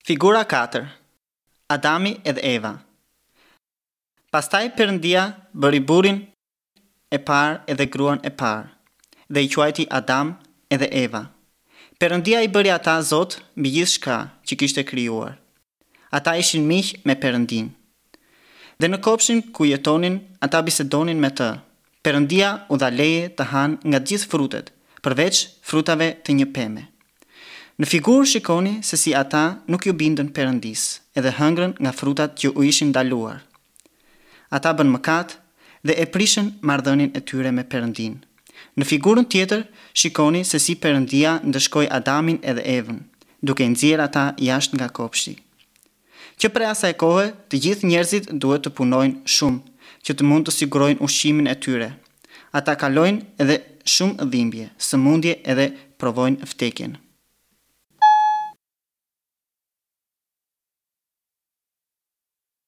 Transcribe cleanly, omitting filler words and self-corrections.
Figura 4. Adami edhe Eva. Pastaj Perëndia bëri burrin e parë edhe gruan e parë dhe i quajti Adam edhe Eva. Perëndia i bëri ata zot mbi gjithçka që kishte krijuar. Ata ishin miq me Perëndinë. Dhe në kopshin ku jetonin, ata bisedonin me të. Perëndia u dha leje të hanë nga gjithë frutet, përveç frutave të një peme. Në figurë shikoni se si ata nuk iu bindën Perëndisë edhe hëngrën nga frutat që u ishin ndaluar. Ata bënë mëkat dhe e prishën marrëdhënien e tyre me Perëndinë. Në figurën tjetër shikoni se si Perëndia ndëshkoi Adamin edhe Evën, duke i nxjerrë ata jashtë nga kopshti. Që prej asaj kohe, të gjithë njerëzit duhet të punojnë shumë, që të mund të sigurojnë ushqimin e tyre. Ata kalojnë edhe shumë dhimbje, sëmundje edhe provojnë vdekjen.